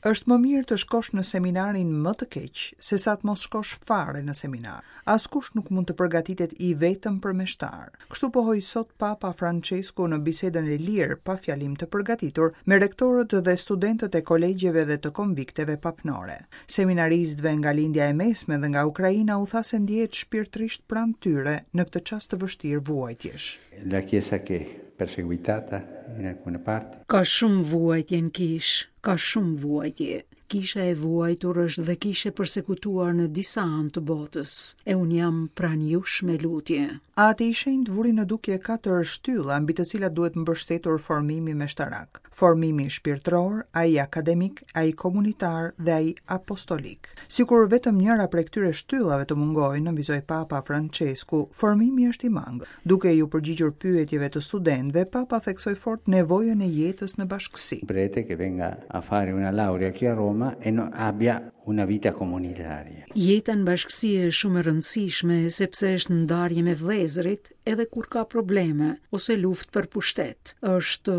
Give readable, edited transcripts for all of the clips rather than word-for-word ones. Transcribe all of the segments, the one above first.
Është më mirë të shkosh në seminarin më të keq, sesa të mos shkosh fare në seminar. Askush nuk mund të përgatitet i vetëm për meshtar. Kështu pohoi sot Papa Françesku në bisedën e lirë, pa fjalim të përgatitur, me rektorët dhe studentët e kolegjeve dhe të konvikteve papnore. Seminaristëve nga Lindja e Mesme dhe nga Ukraina u tha se ndjehet shpirtërisht pranë tyre në këtë çast të vështirë vuajtjesh. La Chiesa che perseguitata in alcune parti. Ka shumë vuajtje në kishë, ka shumë vuajtje. Kisha e vuajtur është dhe kishë e persekutuar në disa anë të botës, e unë jam pranë jush me lutje. Ati i Shenjtë vuri në dukje katër shtylla mbi të cilat duhet mbështetur formimi meshtarak, formimi shpirtëror, ai akademik, ai komunitar dhe ai apostolik. Sikur vetëm njëra prej këtyre shtyllave të mungojë, nënvizoi Papa Françesku, formimi është i mangët. Duke iu përgjigjur pyetjeve të studentëve, Papa theksoi fort nevojën e jetës në bashkësi. Prete che venga a fare una laurea qui a Roma e non abbia una vita comunitaria. Jeta në bashkësi është shumë e rëndësishme sepse është ndarje me vëllezërit edhe kur ka probleme ose luftë për pushtet. Është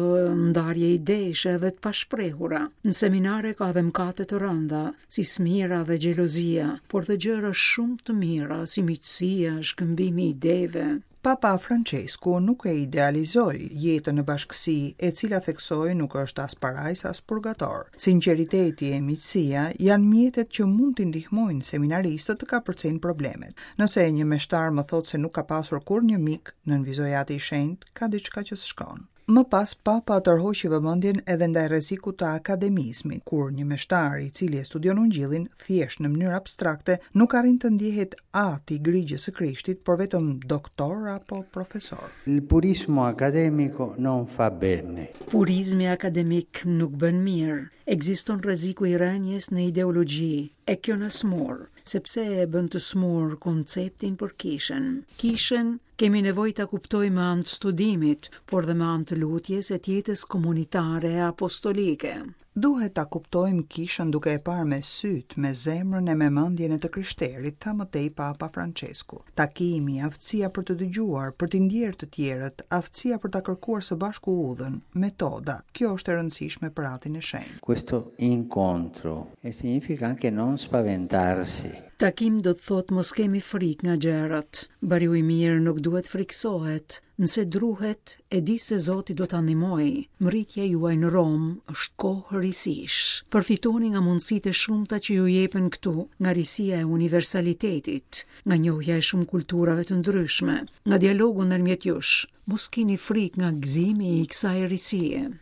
ndarje idesh edhe të pashprehura. Në seminare ka dhe mëkate të rënda, si smira dhe xhelozia, por dhe gjëra shumë të mira, si miqësia, shkëmbimi i ideve. Papa Françesku nuk e idealizoi jetën në bashkësi, e cila theksoi nuk është as parajsë as purgator. Sinqeriteti e miqësia janë mjetet që mund t'i ndihmojnë seminaristët të kapërcejnë problemet. Nëse një meshtar më thotë se nuk ka pasur kurrë një mik, nënvizoi Ati i Shenjtë, ka diçka që s'shkon. Më pas Papa tërhoqi vëmendjen edhe ndaj rrezikut të akademizmit, kur një meshtar i cili e studion Ungjillin thjesht në mënyrë abstrakte nuk arrin të ndjehet at i grigjës së Krishtit, por vetëm doktor apo profesor. Il purismo accademico non fa bene. Purizmi akademik nuk bën mirë. Ekziston rreziku i rënies në ideologji, e kjo na smur, sepse e bën të smur konceptin për kishën. Kishën Kemi nevojë ta kuptojmë me anë të studimit, por dhe me anë të lutjes e të jetës komunitare e apostolike. Duhet ta kuptojmë kishën duke e parë me sytë, me zemrën e me mendjen e të krishterit, tha më tej Papa Françesku. Takimi, aftësia për të dëgjuar, për t'i ndjerë të tjerët, aftësia për ta kërkuar së bashku udhën, metoda, kjo është e rëndësishme për Atin e Shenjtë. Questo incontro e significa anche non spaventarsi. Takim do të thotë mos kemi frikë nga gjërat. Bariu i mirë nuk duhet frikësohet. Nëse druhet, e di se Zoti do ta ndihmojë. Mbërritja juaj në Romë është kohë risish. Përfitoni nga mundësitë e shumta që ju jepen këtu, nga risia e universalitetit, nga njohja e shumë kulturave të ndryshme, nga dialogu ndërmjet jush. Mos kini frikë nga gëzimi i kësaj risie.